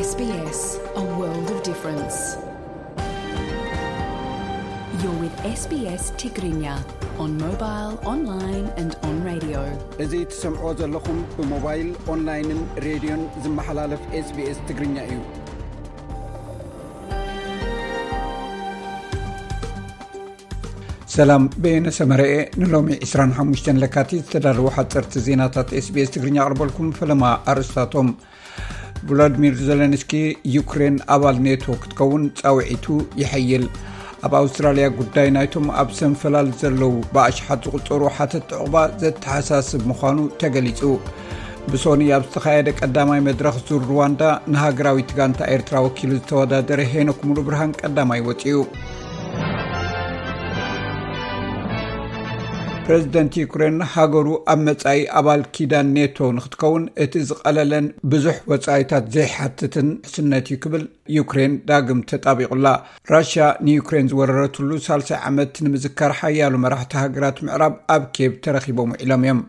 S B S, a world of difference. You're with S B S Tigrinya on mobile, online and on radio. እዚ ትሰምዖ ዘለኹም ብሞባይል፣ ኦንላይንን ሬድዮን ዝመሓላለፍ S B S ትግርኛ እዩ። ሰላም፣ በየነ ሰመረኤ። ንሎሚ ዕስራን ሓሙሽተን ለካቲት ዝተዳለዉ ሓፀርቲ ዜናታት S B S ትግርኛ ኣቕርበልኩም። ፈለማ ኣርእስታቶም። ቮሎድሚር ዘለንስኪ፣ ዩክሬን ኣባል ኔቶ ክትከውን ፃውዒቱ ይሐይል። ኣብ ኣውስትራልያ ጉዳይ ናይቶም ኣብ ሰንፈላል ዘለዉ ብኣሽሓት ዝቑጸሩ ሓተት ዕቑባ ዘተሓሳስብ ምዃኑ ተገሊጹ። ብሶኒ ኣብ ዝተኻየደ ቀዳማይ መድረኽ ዙር ሩዋንዳ ንሃገራዊት ጋንታ ኤርትራ ወኪሉ ዝተወዳደረ ሄኖክ ሙሉብርሃን ቀዳማይ ወጺኡ። ፕረዚደንት ዩክሬን ሃገሩ ኣብ መጻኢ ኣባል ኪዳን ኔቶ ንክትከውን እቲ ዝቐለለን ብዙሕ ወጻኢታት ዘይሓትትን ውሕስነት እዩ ክብል ዩክሬን ዳግም ተጣቢቑላ። ራሽያ ንዩክሬን ዝወረረትሉ ሳልሳይ ዓመት ንምዝካር ሓያሎ መራሕቲ ሃገራት ምዕራብ ኣብ ኬብ ተረኺቦም ውዒሎም እዮም።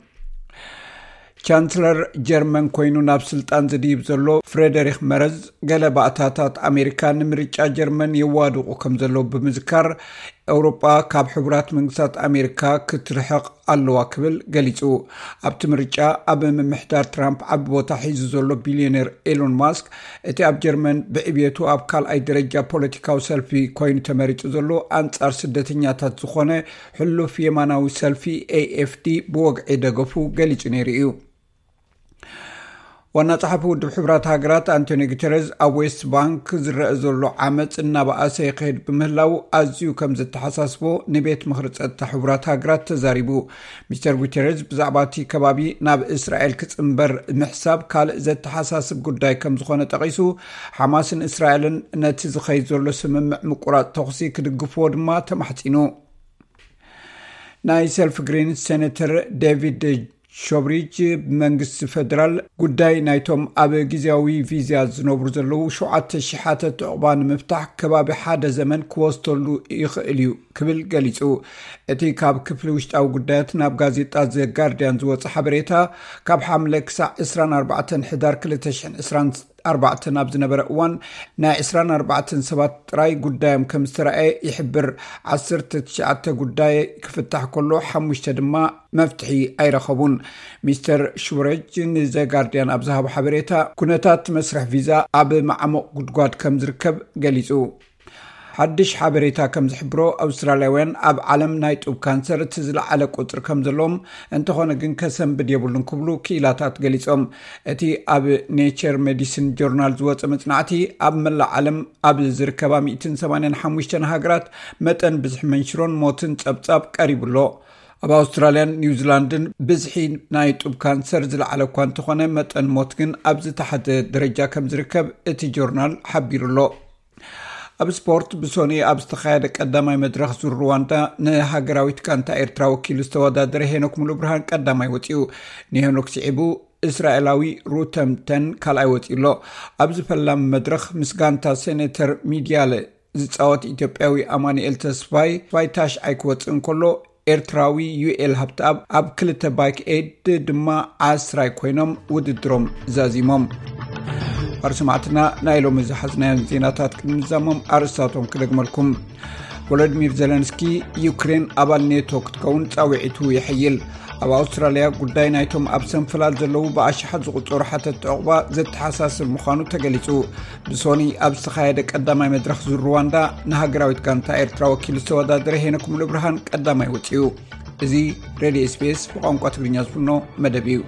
ቻንስለር ጀርመን ኮይኑ ናብ ስልጣን ዝድይብ ዘሎ ፍሬደሪክ መረዝ፣ ገለ ባእታታት ኣሜሪካ ንምርጫ ጀርመን የዋድቑ ከም ዘለዉ ብምዝካር፣ ኤውሮጳ ካብ ሕቡራት መንግስታት ኣሜሪካ ክትርሕቕ ኣለዋ ክብል ገሊጹ። ኣብቲ ምርጫ ኣብ ምምሕዳር ትራምፕ ዓቢ ቦታ ሒዙ ዘሎ ቢልዮነር ኤሎን ማስክ፣ እቲ ኣብ ጀርመን ብዕብየቱ ኣብ ካልኣይ ደረጃ ፖለቲካዊ ሰልፊ ኮይኑ ተመሪጹ ዘሎ ኣንጻር ስደተኛታት ዝኾነ ሕሉፍ የማናዊ ሰልፊ A F D ብወግዒ ደገፉ ገሊጹ ነይሩ እዩ። ዋና ጸሓፊ ውድብ ሕቡራት ሃገራት ኣንቶኒ ጉተረዝ፣ ኣብ ዌስት ባንክ ዝረአ ዘሎ ዓመጽ እናበኣሰ ይኸይድ ብምህላው ኣዝዩ ከም ዘተሓሳስቦ ንቤት ምኽሪ ጸጥታ ሕቡራት ሃገራት ተዛሪቡ። ሚስተር ጉተረዝ ብዛዕባ እቲ ከባቢ ናብ እስራኤል ክጽንበር ምሕሳብ ካልእ ዘተሓሳስብ ጉዳይ ከም ዝኾነ ጠቒሱ፣ ሓማስን እስራኤልን ነቲ ዝኸይድ ዘሎ ስምምዕ ምቁራጽ ተኹሲ ክድግፍዎ ድማ ተማሕጺኑ። ናይ ሰልፊ ግሪንስ ሴኔተር ዴቪድ ሾብሪጅ፣ ብመንግስቲ ፈደራል ጉዳይ ናይቶም ኣብ ግዜያዊ ቪዛ ዝነብሩ ዘለዉ ሸውዓተ ሽሓት ዕቑባ ንምፍታሕ ከባቢ ሓደ ዘመን ክወስደሉ ይኽእል እዩ ክብል ገሊጹ። እቲ ካብ ክፍሊ ውሽጣዊ ጉዳያት ናብ ጋዜጣ ዘ ጋርዲያን ዝወጸ ሓበሬታ፣ ካብ ሓምለ ክሳዕ ዕስራን ኣርባዕተን ሕዳር ክልተ ሽሕን ዕስራን ኣርባዕተን ኣብ ዝነበረ እዋን፣ ናይ ዕስራን ኣርባዕተን ሰባት ጥራይ ጉዳዮም ከም ዝተረኣየ ይሕብር። ዓሰርተ ትሽዓተ ጉዳይ ክፍታሕ ከሎ፣ ሓሙሽተ ድማ መፍትሒ ኣይረኸቡን። ሚስተር ሽብረጅ ንዘ ጋርዲያን ኣብ ዝሃቦ ሓበሬታ፣ ኩነታት መስርሕ ቪዛ ኣብ ማዕሙቕ ጉድጓድ ከም ዝርከብ ገሊጹ። ሓድሽ ሓበሬታ ከም ዝሕብሮ፣ ኣውስትራልያውያን ኣብ ዓለም ናይ ጡብ ካንሰር እቲ ዝለዓለ ቁጽሪ ከም ዘለዎም፣ እንተኾነ ግን ከሰንብድ የብሉን ክብሉ ክኢላታት ገሊጾም። እቲ ኣብ ኔቸር ሜዲሲን ጆርናል ዝወጸ መጽናዕቲ፣ ኣብ መላእ ዓለም ኣብ ዝርከባ ሚእትን ሰማንያን ሓሙሽተን ሃገራት መጠን ብዝሒ መንሽሮን ሞትን ጸብጻብ ቀሪቡ ኣሎ። ኣብ ኣውስትራልያን ኒውዚላንድን ብዝሒ ናይ ጡብ ካንሰር ዝለዓለ እኳ እንተኾነ፣ መጠን ሞት ግን ኣብ ዝተሓተ ደረጃ ከም ዝርከብ እቲ ጆርናል ሓቢሩ ኣሎ። ኣብ ስፖርት፣ ብሶኒ ኣብ ዝተኻየደ ቀዳማይ መድረኽ ዙር ሩዋንዳ ንሃገራዊት ጋንታ ኤርትራ ወኪሉ ዝተወዳደረ ሄኖክ ሙሉብርሃን ቀዳማይ ወጺኡ። ንሄኖክ ስዒቡ እስራኤላዊ ሩተም ተን ካልኣይ ወጺኡ ኣሎ። ኣብዚ ፈላሚ መድረኽ ምስ ጋንታ ሴኔተር ሚድያለ ዝጻወት ኢትዮጵያዊ ኣማኑኤል ተስፋይ፣ ተስፋይ ታሽዓይ ክወጽእ እንከሎ፣ ኤርትራዊ ዩኤል ሃብተኣብ ኣብ ክልተ ባይክ ኤድ ድማ ዓስራይ ኮይኖም ውድድሮም ዛዚሞም። ኣር ሰማዕትና፣ ናይ ሎሚ ዝሓዝናዮም ዜናታት ቅድሚ ምዛሞም ኣርእስታቶም ክደግመልኩም። ቮሎዲሚር ዘለንስኪ፣ ዩክሬን ኣባል ኔቶ ክትከውን ጻውዒቱ ይሕይል። ኣብ ኣውስትራልያ ጉዳይ ናይቶም ኣብ ሰንፈላል ዘለዉ ብኣሽሓት ዝቑጸሩ ሓተት ዕቑባ ዘተሓሳስብ ምዃኑ ተገሊጹ። ብሶኒ ኣብ ዝተኻየደ ቀዳማይ መድረኽ ዙር ሩዋንዳ ንሃገራዊት ጋንታ ኤርትራ ወኪሉ ዝተወዳደረ ሄኖክ ሙሉብርሃን ቀዳማይ ወጺኡ። እዚ ሬድዮ S B S ብቋንቋ ትግርኛ ዝፍኖ መደብ እዩ።